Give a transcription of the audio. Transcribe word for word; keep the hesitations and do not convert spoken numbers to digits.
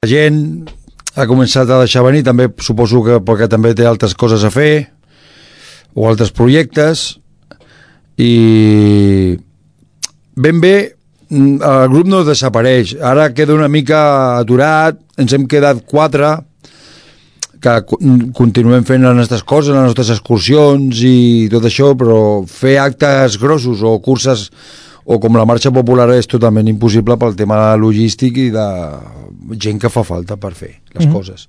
La gent ha començat a deixar venir, també suposo que perquè també té altres coses a fer o altres projectes, i ben bé el grup no desapareix, ara queda una mica aturat, ens hem quedat quatre que continuem fent les nostres coses, les nostres excursions i tot això, però fer actes grossos o curses o com la marxa popular és totalment impossible pel tema logístic i de gent que fa falta per fer les mm-hmm. coses.